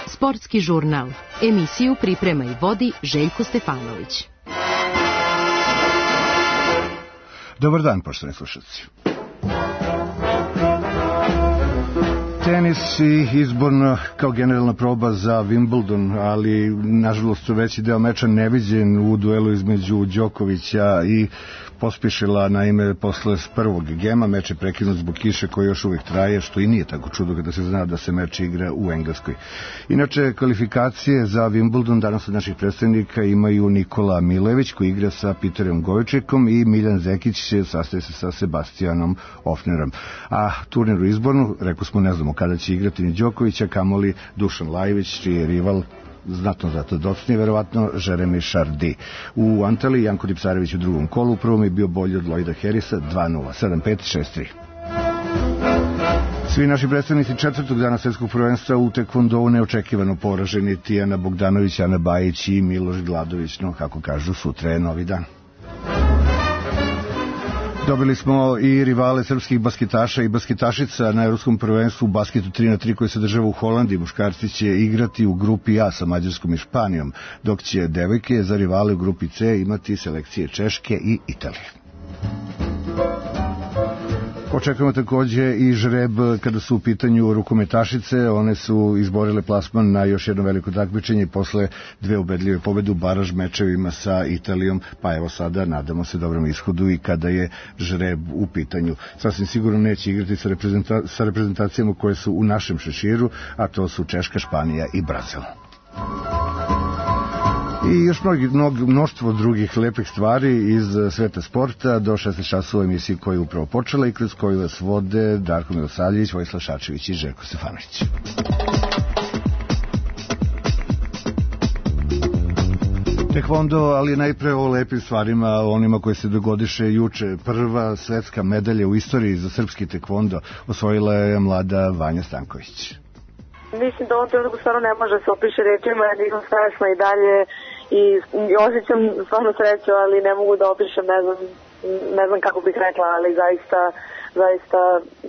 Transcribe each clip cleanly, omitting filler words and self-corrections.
Sportski žurnal. Emisiju priprema i vodi Željko Stefanović. Dobar dan, poštovani slušalci. Tenis i izborno kao generalna proba za Wimbledon, ali nažalost veći deo meča neviđen u duelu između Đokovića i Pospišila. Naime, posle prvog gema meč je prekinut zbog kiše koji još uvijek traje, što i nije tako čudo kada se zna da se meč igra u Engleskoj. Inače, kvalifikacije za Wimbledon danas od naših predstavnika imaju Nikola Milević koji igra sa Peterom Gojčikom i Miljan Zekić sastaje se sa Sebastianom Ofnerom. A turnir u izbornu, rekao smo, ne znamo kada će igrati ni Đokovića, kamoli Dušan Lajović, čiji je rival znatno zato docnije, verovatno Jeremy Chardy. U Antaliji Janko Dipsarević u drugom kolu, u prvom je bio bolji od Lloyda Harrisa 2-0, 7-5, 6-3. Svi naši predstavnici četvrtog dana svetskog prvenstva u tekvondou neočekivano poraženi: Tijana Bogdanović, Ana Bajić i Miloš Gladović, no kako kažu, sutra je novi dan. Dobili smo i rivale srpskih basketaša i basketašica na Evropskom prvenstvu u basketu 3x3 koji se održava u Holandiji. Muškarci će igrati u grupi A sa Mađarskom i Španijom, dok će devojke za rivale u grupi C imati selekcije Češke i Italije. Očekujemo takođe i žreb kada su u pitanju rukometašice. One su izborile plasman na još jedno veliko takmičenje posle dve ubedljive pobede u baraž mečevima sa Italijom, pa evo sada nadamo se dobrom ishodu i kada je žreb u pitanju. Sasvim sigurno neće igrati sa reprezentacijama koje su u našem šeširu, a to su Češka, Španija i Brazil. I još mnoštvo drugih lepih stvari iz sveta sporta do 16 časova emisiji koja je upravo počela i kroz koju vas vode Darko Milosavljević, Vojislav Šačević i Željko Stefanović. Tekvondo, ali najpre o lepim stvarima, onima koje se dogodiše juče. Prva svetska medalja u istoriji za srpski tekvondo osvojila je mlada Vanja Stanković. Mislim da on trenutku stvarno ne može se opiše rečima, nisam strašna i dalje i osjećam stvarno sreću, ali ne mogu da opišem, ne znam kako bih rekla, ali zaista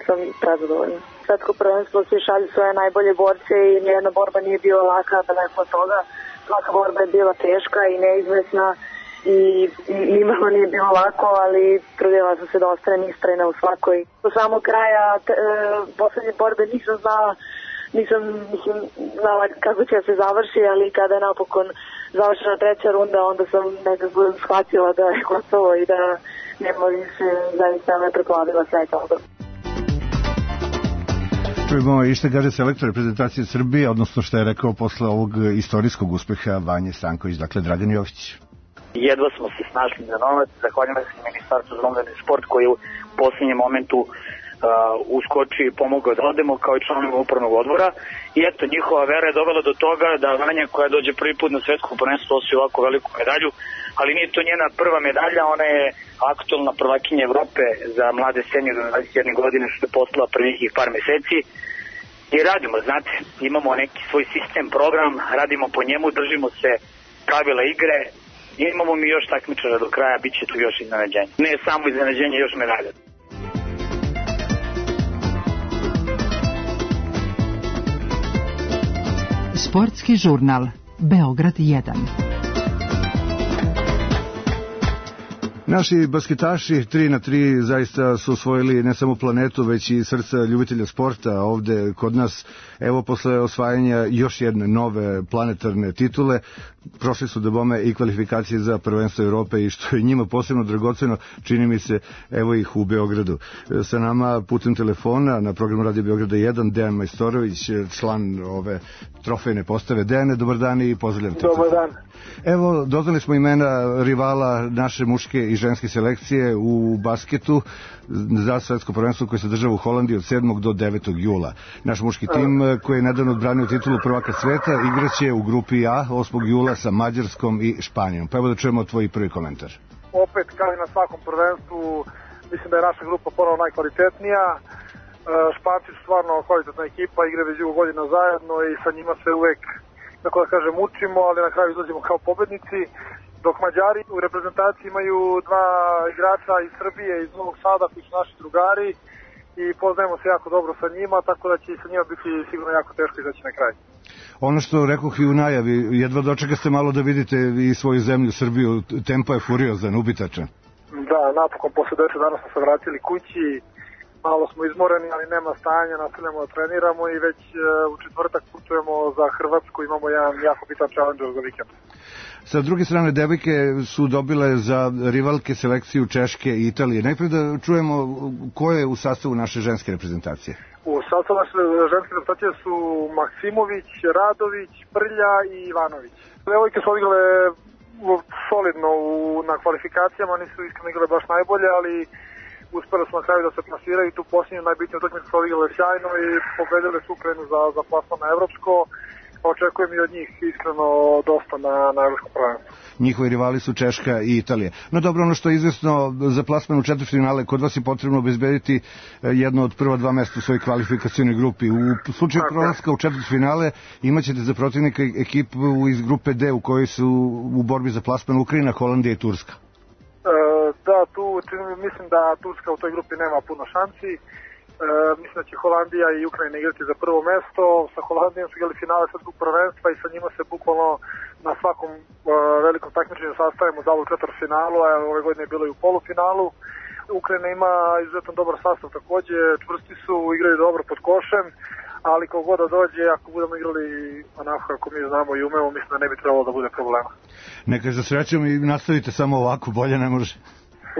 sam prezadovoljna. Svetsko prvenstvo svi šalju svoje najbolje borce i nijedna borba nije bila laka, daleko od toga. Svaka borba je bila teška i neizvesna i nimalo nije bilo lako, ali trudila sam se da ostanem istrajna u svakoj. Do samog kraja poslednje borbe nisam znala kako će se završi, ali kada je napokon završena treća runda, onda sam nekako shvatila da je gotovo i da nema više, zaista me preplavila sreća. Čujemo i što kaže selektor reprezentacije Srbije, odnosno što je rekao posle ovog istorijskog uspeha Vanje Stanković, dakle Dragan Jović. Jedva smo se snašli za novac, zahvaljujem se Ministarstvu za omladinu i sport koji u posljednjem momentu uskoči i pomogao da odemo kao i članova upravnog odbora i eto, njihova vera je dovela do toga da Vanja koja dođe prvi put na svetsko prvenstvo osvoji ovako veliku medalju, ali nije to njena prva medalja, ona je aktualna prvakinja Evrope za mlade seniore do 21 godine, što je postala prvih par meseci i radimo, znate, imamo neki svoj sistem, program, radimo po njemu, držimo se pravila igre, imamo mi još takmičara do kraja, bit će tu još iznenađenje, ne samo iznenađenje, još medalja. Sportski žurnal Beograd 1. Naši basketaši 3x3 zaista su osvojili ne samo planetu, već i srca ljubitelja sporta ovde kod nas. Evo, posle osvajanja još jedne nove planetarne titule, prošli su do bome i kvalifikacije za prvenstvo Evrope i što je njima posebno dragoceno, čini mi se, evo ih u Beogradu. Sa nama putem telefona na programu Radio Beograda 1 Dejan Majstorović, član ove trofejne postave. Dejane, dobar dan i pozdravljam te. Dobar dan. Evo, doznali smo imena rivala naše muške i ženske selekcije u basketu za svetsko prvenstvo koje se država u Holandiji od 7. do 9. jula. Naš muški tim koji je nedavno odbranio titulu prvaka sveta igraće u grupi A 8. jula sa Mađarskom i Španijom. Pa evo da čujemo tvoj prvi komentar. Opet, kao i na svakom prvenstvu, mislim da je naša grupa ponovno najkvalitetnija. Španci su stvarno kvalitetna ekipa, igra već dugo godina zajedno i sa njima se uvek, tako da kažem, učimo, ali na kraju izlazimo kao pobednici. Dok Mađari u reprezentaciji imaju dva igrača iz Srbije, iz Novog Sada, koji su naši drugari i poznajemo se jako dobro sa njima, tako da će i sa njima biti sigurno jako teško izaći na kraj. Ono što rekoh i u najavi, jedva dočekaste malo da vidite i svoju zemlju, Srbiju, tempo je furiozan, ubitačan. Da, napokon posle 10 dana smo se vratili kući, malo smo izmoreni, ali nema stanja, nastavljamo da treniramo i već u četvrtak putujemo za Hrvatsku, imamo jedan jako bitan challenge za vikend. Sa druge strane, devojke su dobile za rivalke selekciju Češke i Italije. Najprije da čujemo ko je u sastavu naše ženske reprezentacije. U sastavu naše ženske reprezentacije su Maksimović, Radović, Prlja i Ivanović. Devojke su odigrale solidno na kvalifikacijama, nisu iskreno igrale baš najbolje, ali uspjeli smo na kraju da se plasiraju. Tu posljednju najbitniju utakmicu su odigrale sjajno i pobedile su Ukrajinu za plasman na evropsko. Očekujem i od njih iskreno dosta na evropskom prvenstvu. Njihovi rivali su Češka i Italija. No dobro, ono što je izvesno za plasman u četvrtfinale, kod vas je potrebno obezbediti jedno od prva dva mesta u svojoj kvalifikacijnoj grupi. U slučaju prolaska u četvrtfinale imaćete za protivnika ekipu iz grupe D u kojoj su u borbi za plasman Ukrajina, Holandija i Turska. Da, tu mislim da Turska u toj grupi nema puno šansi. Mislim da će Holandija i Ukrajina igrati za prvo mesto. Sa Holandijom su igrali finale svetskog prvenstva i sa njima se bukvalno na svakom velikom takmičenju sastavimo da u četvrtfinalu, a ove godine je bilo i u polufinalu. Ukrajina ima izuzetno dobar sastav takođe, čvrsti su, igraju dobro pod košem, ali kako god da dođe, ako budemo igrali onako kako mi znamo i umemo, mislim da ne bi trebalo da bude problema. Neka za srećom i nastavite samo ovako, bolje ne može.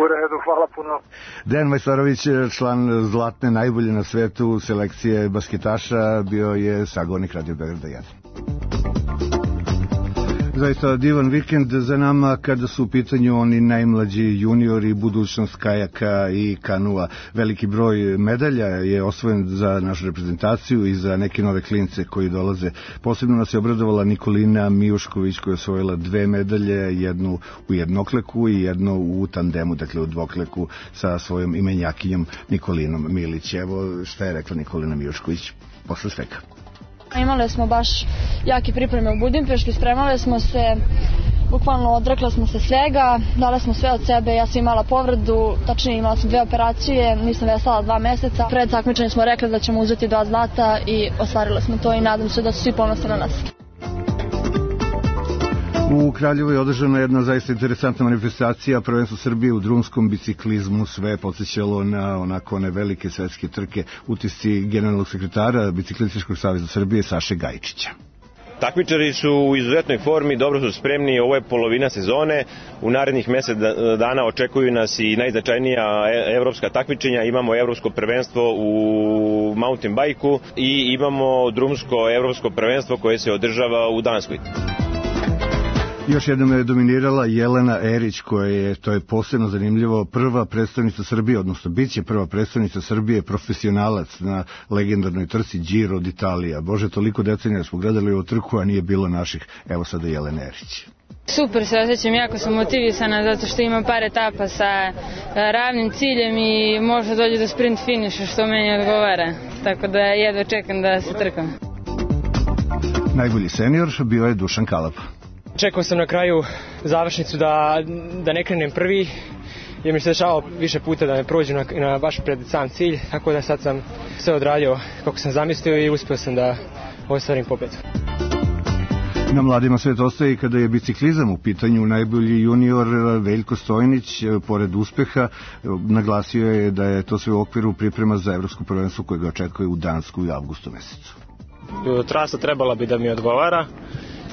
U redu, hvala puno. Dejan Majstorović, član zlatne, najbolje na svetu selekcije basketaša, bio je sagovornik Radio Beograda 1. Zaista divan vikend za nama kada su u pitanju oni najmlađi juniori, budućnost kajaka i kanua. Veliki broj medalja je osvojen za našu reprezentaciju i za neke nove klince koji dolaze. Posebno nas je obradovala Nikolina Mijušković koja je osvojila 2 medalje, jednu u jednokleku i jednu u tandemu, dakle u dvokleku sa svojom imenjakinjom Nikolinom Milić. Evo šta je rekla Nikolina Mijušković posle svega. Imali smo baš jake pripreme u Budimpešti, spremali smo se, bukvalno odrekla smo se svega, dali smo sve od sebe, ja sam imala povredu, tačnije imala sam 2 operacije, nisam veslala 2 meseca. Pred takmičenjem smo rekli da ćemo uzeti 2 zlata i ostvarili smo to i nadam se da su svi ponosni na nas. U Kraljevu je održana jedna zaista interesantna manifestacija, prvenstvo Srbije u drumskom biciklizmu, sve podsjećalo na onako one velike svetske trke, utisci generalnog sekretara Biciklističkog saveza Srbije Saše Gajčića. Takmičari su u izuzetnoj formi, dobro su spremni, ovo je polovina sezone, u narednih mesec dana očekuju nas i najznačajnija evropska takmičenja, imamo evropsko prvenstvo u mountain bajku i imamo drumsko evropsko prvenstvo koje se održava u Danskoj. Još jednom je dominirala Jelena Erić, koja je, to je posebno zanimljivo, prva predstavnica Srbije, odnosno bit će prva predstavnica Srbije, profesionalac na legendarnoj trci Giro d'Italia. Bože, toliko decenija smo gledali u trku, a nije bilo naših. Evo sada Jelena Erić. Super se osjećam, jako sam motivisana zato što imam par etapa sa ravnim ciljem i možda dođe do sprint finiša što meni odgovara. Tako da jedva čekam da se trkam. Najbolji senior bio je Dušan Kalapa. Čekao sam na kraju završnicu da ne krenem prvi, jer mi se dešavalo više puta da me prođu baš pred sam cilj, tako da sad sam sve odradio kako sam zamislio i uspio sam da ostvarim pobedu. Na mladima svet ostaje kada je biciklizam u pitanju. Najbolji junior Veljko Stojnić, pored uspeha, naglasio je da je to sve u okviru priprema za evropsko prvenstvo koje ga očekuje u Dansku u avgustu mesecu. Trasa trebala bi da mi odgovara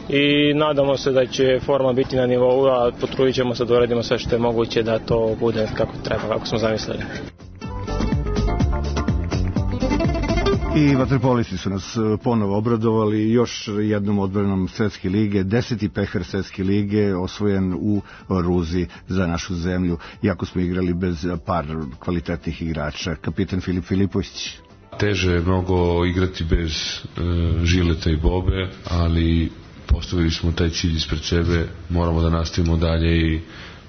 i nadamo se da će forma biti na nivou, a potrudit ćemo se da uradimo sve što je moguće da to bude kako treba, kako smo zamislili. I vaterpolisti su nas ponovo obradovali još jednom odbranom Svetske lige, 10. pehar Svetske lige osvojen u Ruzi za našu zemlju, iako smo igrali bez par kvalitetnih igrača. Kapitan Filip Filipović. Teže je mnogo igrati bez Žileta i Bobe, ali postavili smo taj cilj ispred sebe, moramo da nastavimo dalje i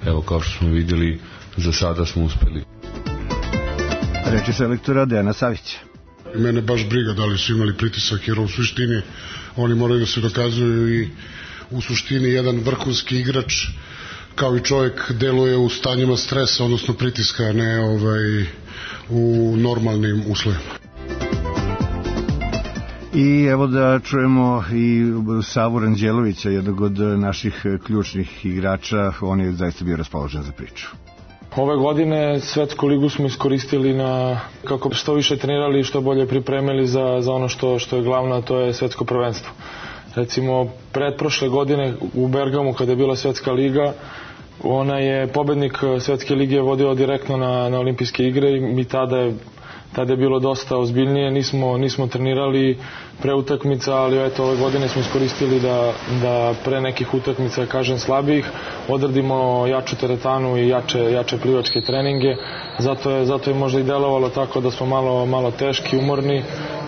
evo kao što smo vidjeli, za sada smo uspeli. Reči selektora Dejana Savića. Mene baš briga da li su imali pritisak, jer u suštini oni moraju da se dokazuju i u suštini jedan vrhunski igrač kao i čovjek deluje u stanjima stresa, odnosno pritiska, ne u normalnim uslovima. I evo da čujemo i Savu Ranđelovića, jednog od naših ključnih igrača, on je zaista bio raspoložen za priču. Ove godine svetsku ligu smo iskoristili kako što više trenirali i što bolje pripremili za ono što je glavno, a to je svetsko prvenstvo. Recimo, pretprošle godine u Bergamu kada je bila svetska liga, ona je pobednik svetske lige vodio direktno na olimpijske igre i mi tada je bilo dosta ozbiljnije, nismo trenirali pre utakmica, ali eto ove godine smo iskoristili da pre nekih utakmica, kažem slabijih, odradimo jaču teretanu i jače plivačke treninge, zato je možda i delovalo tako da smo malo teški, umorni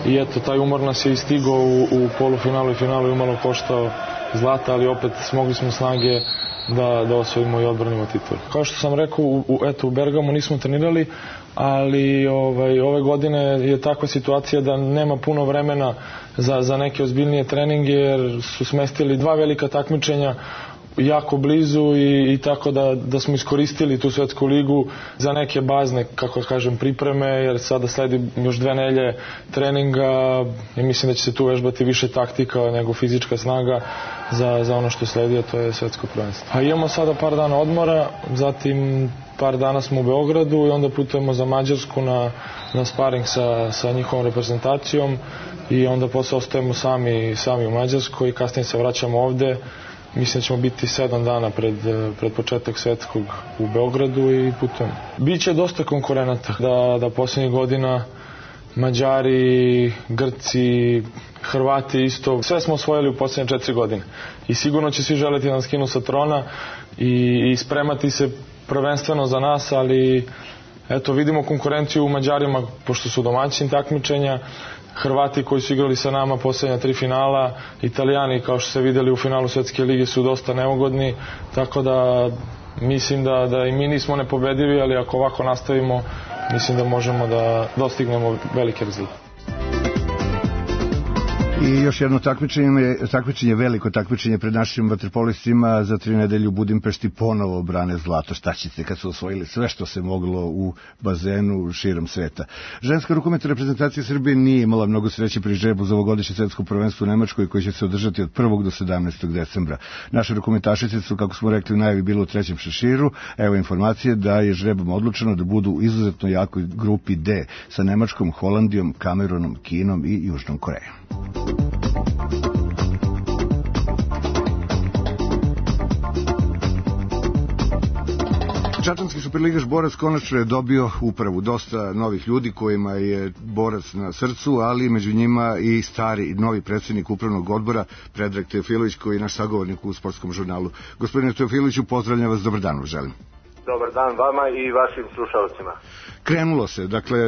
i eto taj umor nas je istigao u polufinalu i finalu i umalo koštao zlata, ali opet smogli smo snage da osvojimo i odbranimo titul. Kao što sam rekao, u Bergamu nismo trenirali, ali ove godine je takva situacija da nema puno vremena za neke ozbiljnije treninge, jer su smestili 2 velika takmičenja jako blizu i tako da smo iskoristili tu svetsku ligu za neke bazne, kako kažem, pripreme, jer sada sledi još 2 nedelje treninga i mislim da će se tu vežbati više taktika nego fizička snaga za ono što sledi, a to je svetsko prvenstvo. A imamo sada par dana odmora, zatim par dana smo u Beogradu i onda putujemo za Mađarsku na sparing sa njihovom reprezentacijom i onda posle ostajemo sami u Mađarskoj i kasnije se vraćamo ovde. Mislim da ćemo biti 7 dana pred početak svetskog u Beogradu i putujemo. Biće dosta konkurenata, da posljednjih godina Mađari, Grci, Hrvati isto, sve smo osvojili u posljednje 4 godine. I sigurno će svi želeti da nas skinu sa trona i spremati se prvenstveno za nas, ali eto vidimo konkurenciju u Mađarima, pošto su domaćini takmičenja, Hrvati koji su igrali sa nama posljednja 3 finala, Italijani kao što ste vidjeli u finalu Svetske lige su dosta neugodni, tako da mislim da i mi nismo nepobedivi, ali ako ovako nastavimo, mislim da možemo da dostignemo velike rezultate. I još jedno takmičenje, veliko takmičenje pred našim vaterpolistima za 3 nedelje u Budimpešti, ponovo brane zlato. Šta ćete kad su osvojili sve što se moglo u bazenu širom sveta. Ženska rukometna reprezentacija Srbije nije imala mnogo sreće pri žrebu za ovogodišnje svetsko prvenstvo u Nemačkoj koji će se održati od 1. do 17. decembra. Naše rukometašice su, kako smo rekli, u najavi bilo u 3. šeširu. Evo informacije da je žrebom odlučeno da budu u izuzetno jakoj grupi D sa Nemačkom, Holandijom, Kamerunom, Kinom i Južnom Korejom. Čačanski superligaš Borac konačno je dobio upravu, dosta novih ljudi kojima je Borac na srcu, ali među njima i stari novi predsjednik upravnog odbora Predrag Teofilović, koji je naš sagovornik u sportskom žurnalu. Gospodine Teofiloviću, pozdravljam vas, dobar dan vam želim. Dobar dan vama i vašim slušalcima. Krenulo se, dakle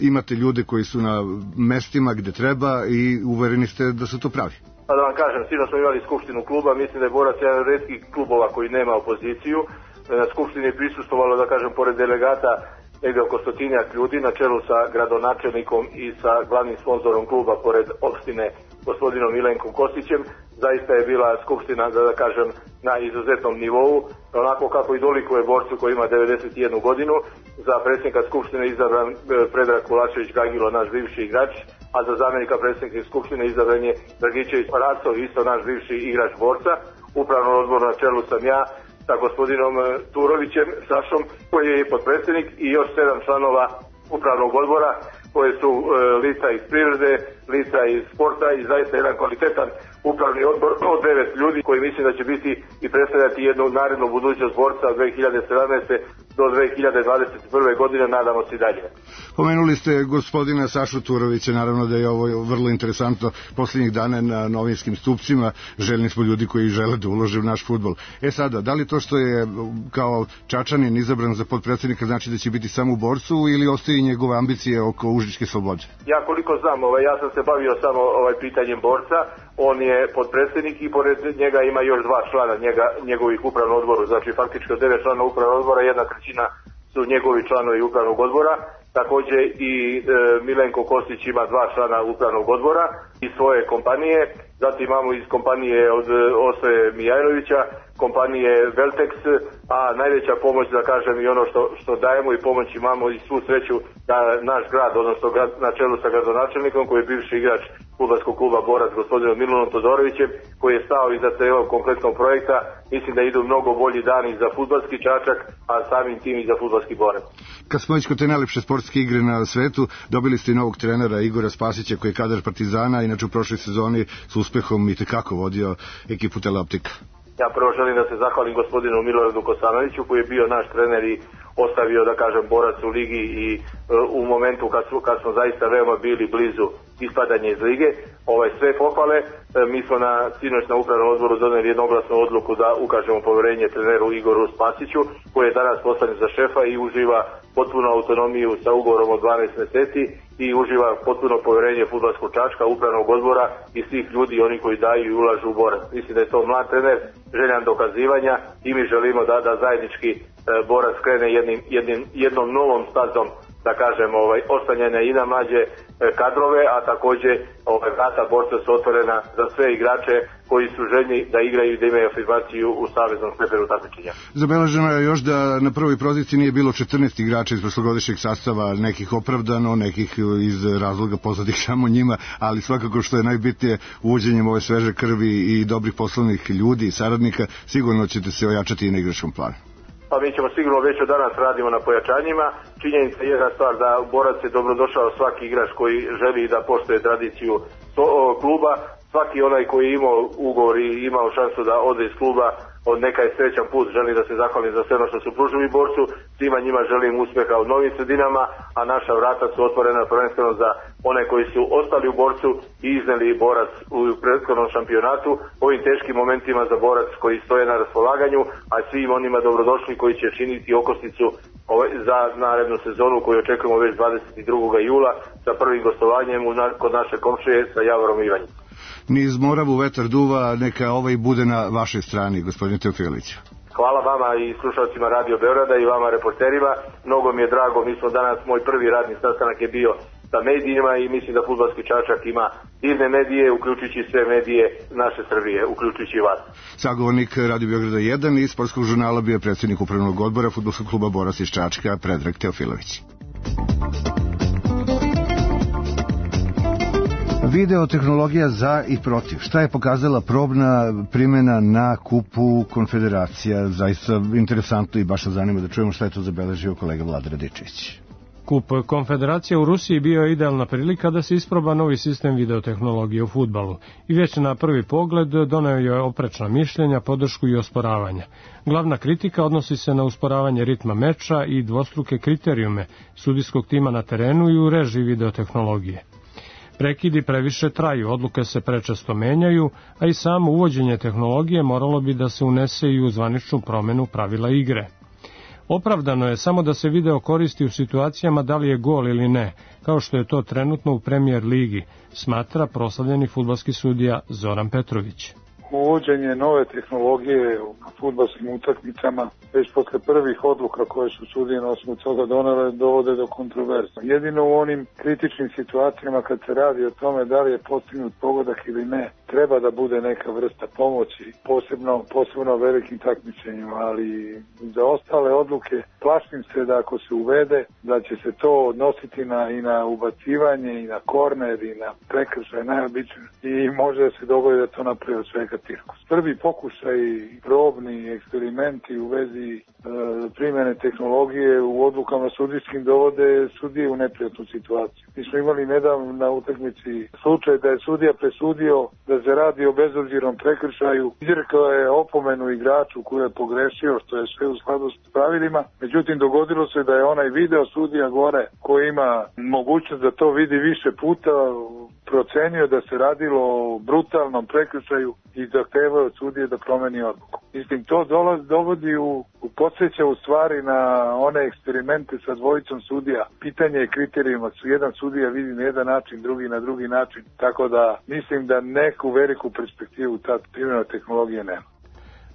imate ljude koji su na mestima gde treba i uvereni ste da su to pravi. Pa da vam kažem, sinoć smo imali skupštinu kluba, mislim da je Borac jedan od retkih klubova koji nema opoziciju. Na skupštini je prisustvovalo, da kažem, pored delegata negde oko 100 ljudi na čelu sa gradonačelnikom i sa glavnim sponzorom kluba pored opštine gospodinom Milenkom Kostićem. Zaista je bila skupština, da kažem, na izuzetnom nivou, onako kako i dolikuje Borcu koji ima 91 godinu. Za predsjednika skupštine izabran Predrag Kulačević Gagilo, naš bivši igrač, a za zamjenika predsjednika skupštine izabran je Dragičević Racov, isto naš bivši igrač Borca. Upravno odbor na čelu sam ja sa gospodinom Turovićem, Sašom, koji je potpredsjednik, i još 7 članova upravnog odbora, koje su lica iz privrede, lica iz sporta i zaista jedan kvalitetan upravni odbor od 9 ljudi koji mislim da će biti i predstavljati jednu narednu budućnost Borca od 2017. do 2021. godine, nadamo se i dalje. Pomenuli ste gospodina Sašu Turovića, naravno da je ovo vrlo interesantno posljednjih dana na novinskim stupcima, željni smo ljudi koji žele da ulože u naš fudbal. Sada, da li to što je kao Čačanin izabran za potpredsjednika znači da će biti samo u Borcu ili ostaje njegove ambicije oko Užičke Slobode? Ja koliko znam, ja sam se bavio samo pitanjem Borca, on je potpredsjednik i pored njega ima još 2 člana njegovih upravnog odboru, znači faktički od 9 člana upravnog odbora 1/3 su njegovi članovi upravnog odbora. Također i Milenko Kostić ima 2 člana upravnog odbora i svoje kompanije zatim imamo iz kompanije od Osve Mijajlovića, kompanije Veltex, a najveća pomoć, da kažem, i ono što dajemo i pomoć imamo i svu sreću da naš grad, odnosno na čelu sa gradonačelnikom koji je bivši igrač fudbalskog kluba Borac, gospodinom Milanom Todorovićem, koji je stao iza celog kompletnog projekta. Mislim da idu mnogo bolji dani za fudbalski Čačak, a samim tim i za fudbalski Borac. Kad smo već kod te najlepše sportske igre na svetu, dobili ste i novog trenera Igora Spasića koji je kadar Partizana, inače u prošloj sezoni s uspehom i tekako vodio ekipu Teleoptika. Ja prvo želim da se zahvalim gospodinu Miloradu Kosanoviću koji je bio naš trener i ostavio, da kažem, Borac u ligi i u momentu kad smo zaista veoma bili blizu ispadanja iz lige. Sve pohvale, mi smo sinoć na upravnom odboru doneli jednoglasnu odluku da ukažemo poverenje treneru Igoru Spasiću, koji je danas postavljen za šefa i uživa potpuno autonomiju sa ugovorom od 12 meseci i uživa potpuno poverenje fudbalskog Čačka, upravnog odbora i svih ljudi, oni koji daju i ulažu u Borac. Mislim da je to mlad trener, željan dokazivanja i mi želimo da zajednički Borac krene jednom novom stazom, da kažem, ostanjene i na mlađe kadrove, a takođe vrata Borca su otvorena za sve igrače koji su željni da igraju i da imaju afirmaciju u saveznom stepenu takmičenja. Zabeleženo je još da na prvoj poziciji nije bilo 14 igrača iz prošlogodišnjeg sastava, nekih opravdano, nekih iz razloga poznatih samo njima, ali svakako što je najbitnije, uvođenjem ove sveže krvi i dobrih poslovnih ljudi i saradnika, sigurno ćete se ojačati i na igračkom planu. Pa mi ćemo sigurno već od danas radimo na pojačanjima. Činjenica je jedna stvar da Borac je dobrodošao svaki igrač koji želi da poštuje tradiciju kluba. Svaki onaj koji je imao ugovor i imao šansu da ode iz kluba, neka je srećan put, želim da se zahvalim za sve ono što su pružili Borcu, svima njima želim uspeha u novim sredinama, a naša vrata su otvorena prvenstveno za one koji su ostali u Borcu i izneli Borac u prethodnom šampionatu, ovim teškim momentima za Borac koji stoje na raspolaganju, a svim onima dobrodošli koji će činiti okosnicu za narednu sezonu koju očekujemo već 22. jula sa prvim gostovanjem kod naše komšije sa Javorom Ivanjem. Niz Moravu vetar duva, neka bude na vašoj strani, gospodine Teofilić. Hvala vama i slušalcima Radio Beograda i vama reporterima. Mnogo mi je drago, mi smo danas, moj prvi radni sastanak je bio sa medijima i mislim da fudbalski Čačak ima divne medije, uključujući sve medije naše Srbije, uključujući vas. Sagovornik Radio Beograda 1 i sportskog žurnala bio predsjednik upravnog odbora fudbalskog kluba Borac iz Čačka, Predrag Teofilović. Videotehnologija za i protiv. Šta je pokazala probna primjena na kupu konfederacija? Zaista interesantno i baš se zanima da čujemo šta je to zabeležio kolega Vlada Radičević. Kup konfederacija u Rusiji bio je idealna prilika da se isproba novi sistem videotehnologije u fudbalu i već na prvi pogled doneo je oprečna mišljenja, podršku i osporavanja. Glavna kritika odnosi se na usporavanje ritma meča i dvostruke kriterijume sudijskog tima na terenu i u režiji videotehnologije. Prekidi previše traju, odluke se prečesto menjaju, a i samo uvođenje tehnologije moralo bi da se unese i u zvaničnu promenu pravila igre. Opravdano je samo da se video koristi u situacijama da li je gol ili ne, kao što je to trenutno u Premier ligi, smatra proslavljeni fudbalski sudija Zoran Petrović. Uvođenje nove tehnologije u fudbalskim utakmicama već posle prvih odluka koje su sudije na osnovu toga donele dovode do kontroverza. Jedino u onim kritičnim situacijama kad se radi o tome da li je postignut pogodak ili ne, treba da bude neka vrsta pomoći, posebno velikim takmičenjima, ali za ostale odluke plašim se da ako se uvede da će se to odnositi i na ubacivanje i na korner i na prekršaj najobičnije i može da se dogodi da to napravi od svega cirkus. Prvi pokušaj, probni eksperimenti u vezi primjene tehnologije u odlukama sudijskim dovode sudije u neprijatnu situaciju. Mi smo imali nedavno na utakmici slučaj da je sudija presudio da se radi o bezobzirnom prekršaju. Izrekao je opomenu igraču koji je pogrešio, što je sve u skladu s pravilima. Međutim, dogodilo se da je onaj video sudija gore koji ima mogućnost da to vidi više puta procenio da se radilo o brutalnom prekršaju i zahtevao od sudije da promeni odluku. Mislim, to dovodi podsjeća u stvari na one eksperimente sa dvojicom sudija. Pitanje je kriterijuma, jedan sudija vidi na jedan način, drugi na drugi način, tako da mislim da neku veliku perspektivu ta primjena tehnologije nema.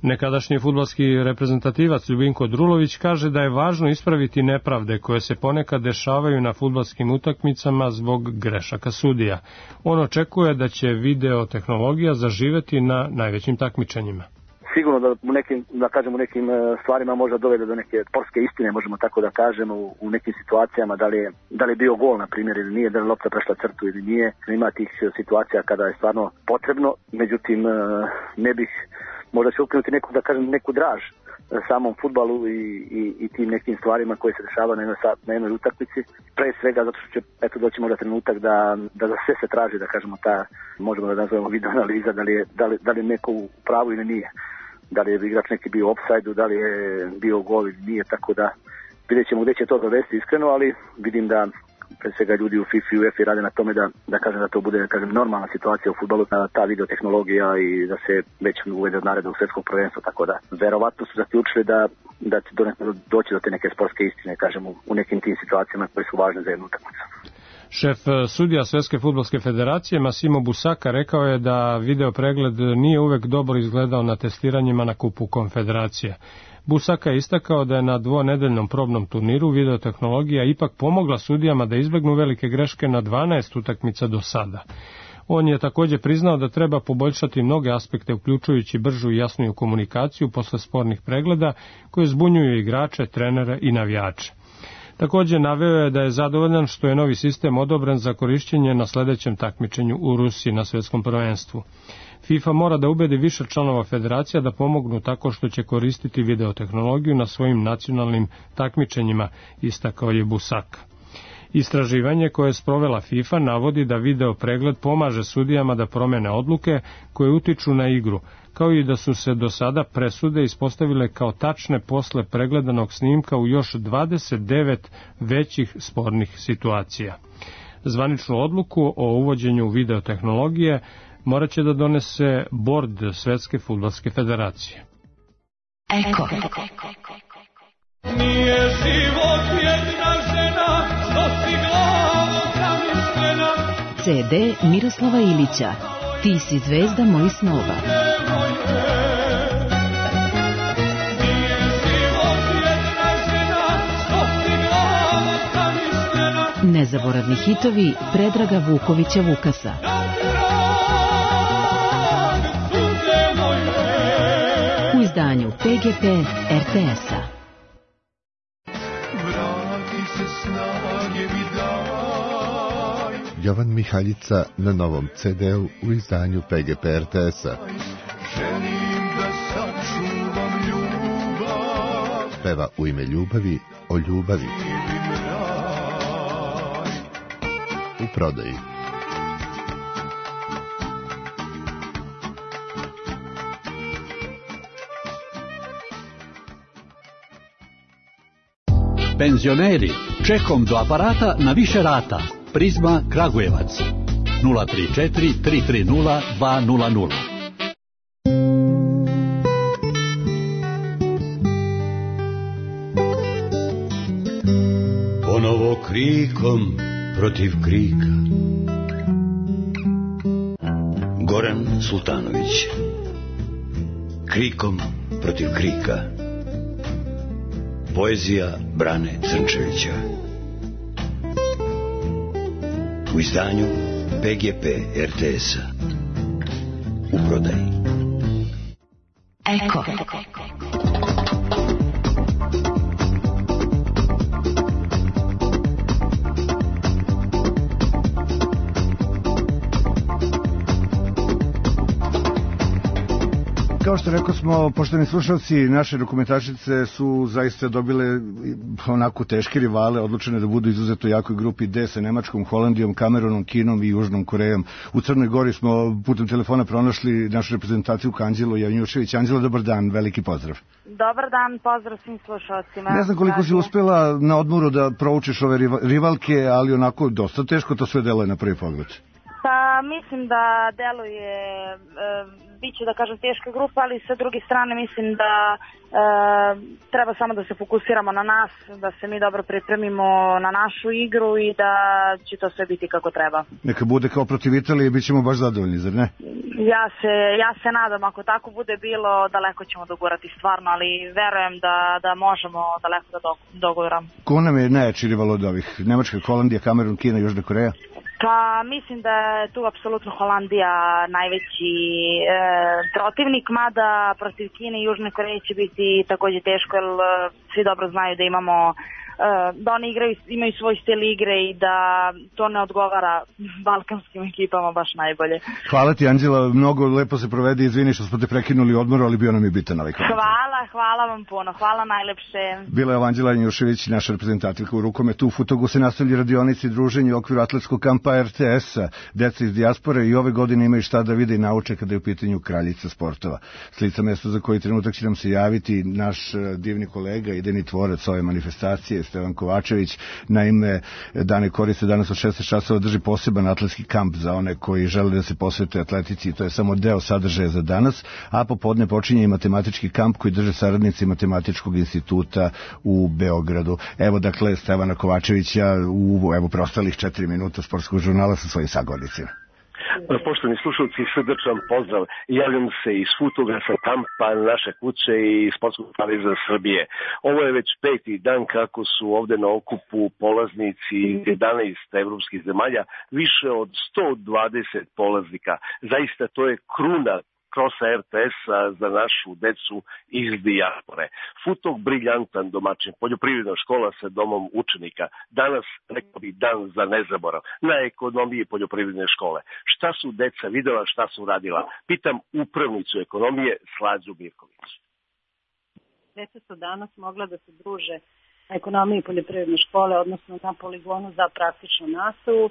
Nekadašnji fudbalski reprezentativac Ljubinko Drulović kaže da je važno ispraviti nepravde koje se ponekad dešavaju na fudbalskim utakmicama zbog grešaka sudija. On očekuje da će video tehnologija zaživeti na najvećim takmičenjima. Sigurno da u nekim stvarima možda dovede do neke sportske istine, možemo tako da kažemo, u nekim situacijama, da li je bio gol, na primjer, ili nije, da li lopta prešla crtu ili nije. Ima tih situacija kada je stvarno potrebno, međutim, ne bih, možda će ukinuti neku draž samom fudbalu i tim nekim stvarima koje se dešavaju na jednoj utakmici. Pre svega zato što će doći možda trenutak da za sve se traži, da kažemo, možemo da nazovemo video analiza, da li je neko u pravu ili nije. Da li je igrač neki bio u ofsajdu, da li je bio gol ili nije, tako da vidjet ćemo gdje će to dovesti iskreno, ali vidim da pre svega ljudi u FIFA i UEFA rade na tome da to bude normalna situacija u fudbalu, ta videotehnologija i da se već uvede od narednog svjetskog prvenstva, tako da verovatno su zaključili da će doći do te neke sportske istine, u nekim tim situacijama koje su važne za jednu utakmicu. Šef sudija Svjetske fudbalske federacije Massimo Busaka rekao je da video pregled nije uvek dobro izgledao na testiranjima na Kupu Konfederacije. Busaka je istakao da je na dvonedeljnom probnom turniru videotehnologija ipak pomogla sudijama da izbegnu velike greške na 12 utakmica do sada. On je također priznao da treba poboljšati mnoge aspekte, uključujući bržu i jasniju komunikaciju posle spornih pregleda koje zbunjuju igrače, trenere i navijače. Također naveo je da je zadovoljan što je novi sistem odobren za korišćenje na sledećem takmičenju u Rusiji na svjetskom prvenstvu. FIFA mora da ubedi više članova federacija da pomognu tako što će koristiti videotehnologiju na svojim nacionalnim takmičenjima, istakao je Busaka. Istraživanje koje je sprovela FIFA navodi da video pregled pomaže sudijama da promene odluke koje utiču na igru, kao i da su se do sada presude ispostavile kao tačne posle pregledanog snimka u još 29 većih spornih situacija. Zvaničnu odluku o uvođenju videotehnologije morat će da donese bord Svetske fudbalske federacije. Eko. Nije život jedna žena, što si glavo zamišljena. CD Miroslava Ilića. Ti si zvezda mojih snova. Nije život jedna žena, što si glavo zamišljena. Nezaboravni hitovi Predraga Vukovića Vukasa. U izdanju PGP RTS-a. Jovan Mihaljica na novom CD-u u izdanju PGP RTS-a. Peva u ime ljubavi o ljubavi. U prodaji. Penzioneri, čekom do aparata na više rata. Prizma Kragujevac 034 330 200. Ponovo krikom protiv krika. Goran Sultanović. Krikom protiv krika. Poezija Brane Crnčevića. U izdanju PGP RTS-a. U prodaji. Eko. Kao što rekao smo, poštovani slušalci, naše dokumentašice su zaista dobile onako teške rivale, odlučene da budu izuzeto jakoj grupi D sa Nemačkom, Holandijom, Kamerunom, Kinom i Južnom Korejom. U Crnoj Gori smo putem telefona pronašli našu reprezentaciju Anđelo Janjušević. Anđelo, dobar dan, veliki pozdrav. Dobar dan, pozdrav svim slušalcima. Ne znam koliko si uspela na odmoru da proučiš ove rivalke, ali onako dosta teško to sve deluje na prvi pogled. Pa mislim da deluje, biće da kažem teška grupa, ali sa druge strane mislim da treba samo da se fokusiramo na nas, da se mi dobro pripremimo na našu igru i da će to sve biti kako treba. Neka bude kao protiv Italije, bit ćemo baš zadovoljni, zar ne? Ja se nadam, ako tako bude bilo, daleko ćemo dogurati stvarno, ali verujem da možemo daleko da doguramo. Ko nam je najjači rival od ovih? Nemačka, Holandija, Kamerun, Kina, Južna Koreja? Pa mislim da je tu apsolutno Holandija najveći protivnik, mada protiv Kine i Južne Koreje će biti takođe teško, jer svi dobro znaju da da oni imaju svoj stil igre i da to ne odgovara balkanskim ekipama baš najbolje. Hvala ti, Anđela, mnogo lepo se provedi, izvini što smo te prekinuli odmor, ali bio nam je bitan ovaj komentar. Hvala vam puno, hvala najlepše. Bila je Anđela Janjušević, naša reprezentativka u rukometu. U Futogu se nastavlja radionici i druženje u okviru atletskog kampa RTS-a. Deca iz dijaspore i ove godine imaju šta da vide i nauče kada je u pitanju kraljica sportova. Slica mesto za koji trenutak će nam se javiti naš divni kolega, idejni tvorac ove manifestacije, Stevan Kovačević. Naime, Dane Korice danas od 16 časova drži poseban atletski kamp za one koji žele da se posvete atletici i to je samo deo sadržaja za danas, a popodne počinje i matematički kamp koji drže saradnici Matematičkog instituta u Beogradu. Evo dakle Stevana Kovačevića u preostalih 4 minuta sportskog žurnala sa svojim sagovornicima. Poštovani slušalci, srdačan pozdrav. Javljam se iz Futoga sa kampa naše kuće i Sportskog saveza Srbije. Ovo je već 5. dan kako su ovde na okupu polaznici 11 evropskih zemalja, više od 120 polaznika. Zaista to je kruna krosa RTS-a za našu decu iz dijaspore. Futog briljantan domaćin, poljoprivredna škola sa domom učenika. Danas, rekao bih, dan za nezaborav. Na ekonomiji poljoprivredne škole. Šta su deca videla, šta su radila? Pitam upravnicu ekonomije Slađu Mirković. Deca su danas mogla da se druže na ekonomiji poljoprivredne škole, odnosno na poligonu za praktičnu nastavu.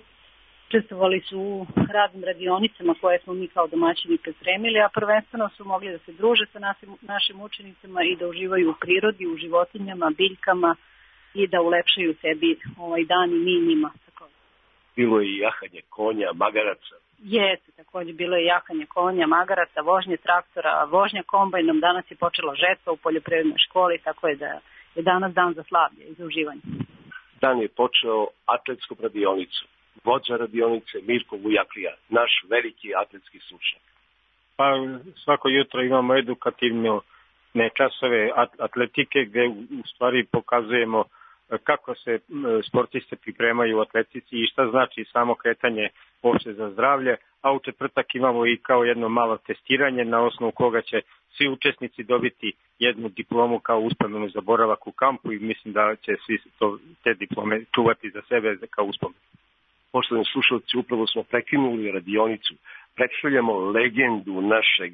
Učestvovali su u raznim radionicama koje smo mi kao domaćini pripremili, a prvenstveno su mogli da se druže sa našim učenicima i da uživaju u prirodi, u životinjama, biljkama i da ulepšaju sebi ovaj dan i mi njima. Bilo je i jahanje konja, magaraca. Jeste, također bilo je jahanje konja, magaraca, vožnje traktora, vožnja kombajnom. Danas je počela žetva u poljoprivrednoj školi, tako je da je danas dan za slavlje i za uživanje. Dan je počeo atletskom radionicom. Vođa radionice Mirko Vujaklija, naš veliki atletski stručnjak. Pa svako jutro imamo edukativne časove atletike gde u stvari pokazujemo kako se sportiste pripremaju u atletici i šta znači samo kretanje uopšte za zdravlje, a u četvrtak imamo i kao jedno malo testiranje na osnovu koga će svi učesnici dobiti jednu diplomu kao uspomenu za boravak u kampu i mislim da će svi te diplome čuvati za sebe kao uspomenu. Poštovani slušalci, upravo smo prekinuli radionicu. Predstavljamo legendu našeg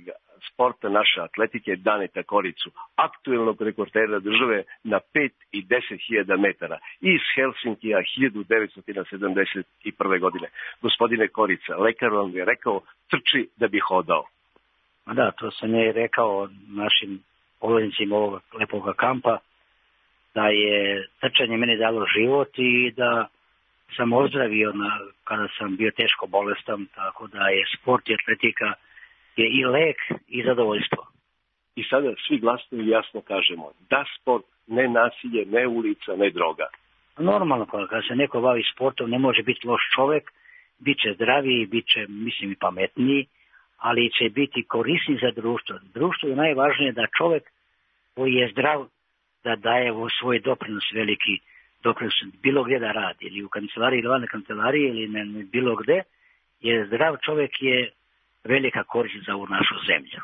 sporta, naše atletike, Daneta Koricu, aktuelnog rekordera države na 5 i 10.000 metara iz Helsinkija 1971. godine. Gospodine Korica, lekar vam je rekao, trči da bi hodao. Da, to sam je rekao našim polaznicima ovog lepog kampa, da je trčanje meni dalo život i da sam ozdravio kada sam bio teško bolestan, tako da je sport i atletika je i lek i zadovoljstvo. I sada svi glasno i jasno kažemo da sport, ne nasilje, ne ulica, ne droga. Normalno, kada se neko bavi sportom ne može biti loš čovek, bit će zdraviji, bit će, mislim, i pametniji, ali će biti korisni za društvo. Društvo je najvažnije da čovek koji je zdrav da daje svoj doprinos veliki, doprinos bilo gdje da radi, ili u kancelariji ili van kancelariji ili bilo gdje, jer zdrav čovek je velika korist za ovu našu zemlju.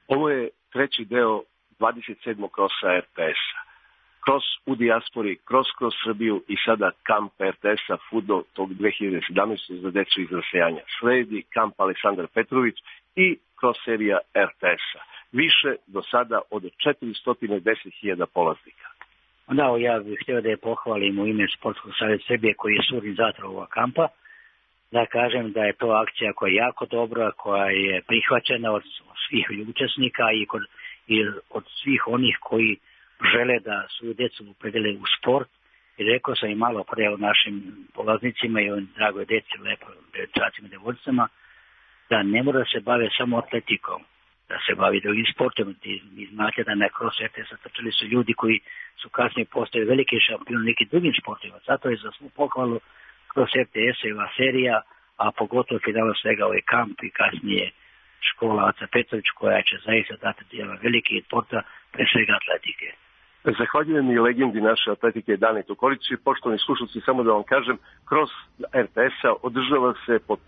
Ovo je treći deo 27. krosa RTS-a. Kroz u dijaspori, kroz Srbiju i sada kamp RTS-a Fudo tog 2017. za decu iz rasejanja. Sledi kamp Aleksandar Petrović i kroz serija RTS-a. Više do sada od 410.000 polaznika. Da, ja bih htio da je pohvalim u ime Sportskog saveza Srbije koji je suorganizator ovog kampa, da kažem da je to akcija koja je jako dobra, koja je prihvaćena od svih učesnika i od svih onih koji žele da svoju decu opredele u sport. I rekao sam i malo pre o našim polaznicima i o dragoj deci, lepo dečacima i devojčicama da ne mora da se bave samo atletikom, da se bavi drugim sportom. Vi znate da na Cross RTS trčali su ljudi koji su kasnije postali veliki šampioni u nekim drugim sportima. Zato je za svu pohvalu Cross RTS-eva serija, a pogotovo finalno svega ovaj kamp i kasnije škola Aca Petrović koja će zaista dati jedan veliki sporta, pre svega atletike. Zahvaljujem i legendi naše atletike Dani Tokolić. Poštovani slušalci, samo da vam kažem, Cross RTS-a održava se pod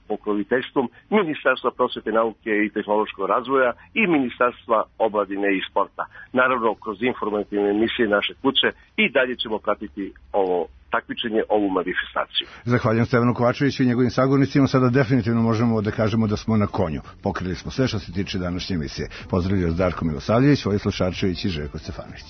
pokroviteljstvom Ministarstva prosvete, nauke i tehnološkog razvoja i Ministarstva omladine i sporta. Naravno, kroz informativne emisije naše kuće i dalje ćemo pratiti ovo takmičenje, ovu manifestaciju. Zahvaljujem Stevanu Kovačeviću i njegovim sagovornicima. Sada definitivno možemo da kažemo da smo na konju. Pokrili smo sve što se tiče današnje emisije. Pozdravljaju Darko Milosavljević, Vojislav Šarčević i Željko Stefanović.